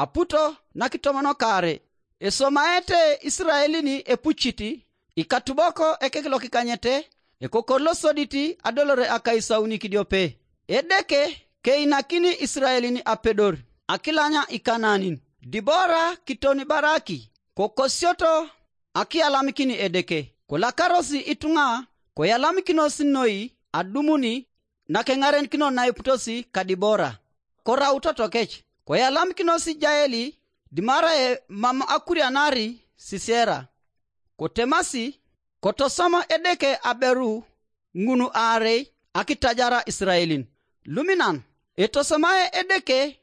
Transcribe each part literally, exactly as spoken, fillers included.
Aputo nakitomonokare. Esomaete Isiraelin epucit, ikatubok ekek lokikanyete, ekokor losodit adolore akaisauni kidiope. Edeke keinakini Isiraelin apedor akilanya Ikanaanin. Dibora kiton Baraki kokosioto akiyalamikin Edeke. Kolakarosi ituŋa koyalamikinos noi adumuni nakeŋarenikino naiputosi ka Dibora. Korau totokec, koyalamikinos Jaeli dimarae mam akurianari Sisera. Kotemasi, kotosom Edeke aberu ŋun aarei akitajara Isiraelin. Luminan, etosomae Edeke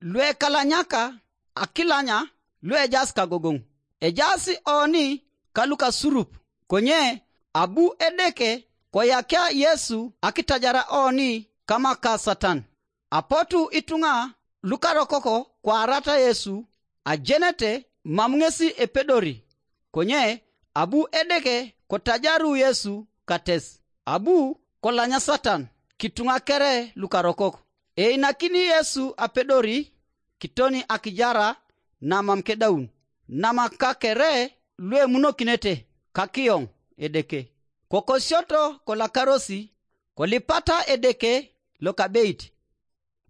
luekalanyaka akilanya luejaas kagogoŋ. Ejaas oni ka lukasurup, konye abu Edeke koyakia Yesu akitajara oni kama ka Satan. Apotu ituŋa lukarokoko kwaarata Yesu ajenete mam ŋesi epedori, konye abu Edeke kotajaru Yesu kates. Abu kolanya Satan kituŋa kere lukarokok. Einakini Yesu apedori kitoni akijara namam kedaun, nama kakere luemunokinete kakiyoŋ Edeke. Kokosioto kolakarosi, kolipata Edeke lokabeit.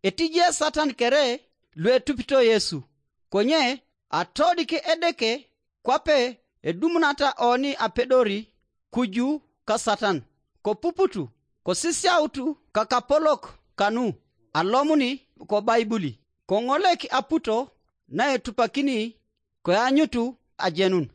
Etije Satan kere luetupito Yesu, konye atodik Edeke kwape edumunata oni apedori kuju ka Satan. Kopuputu, kosisiautu kakapolok kanu alomuni kobaibuli, koŋolek aputo naetupakini koanyutu ajenun.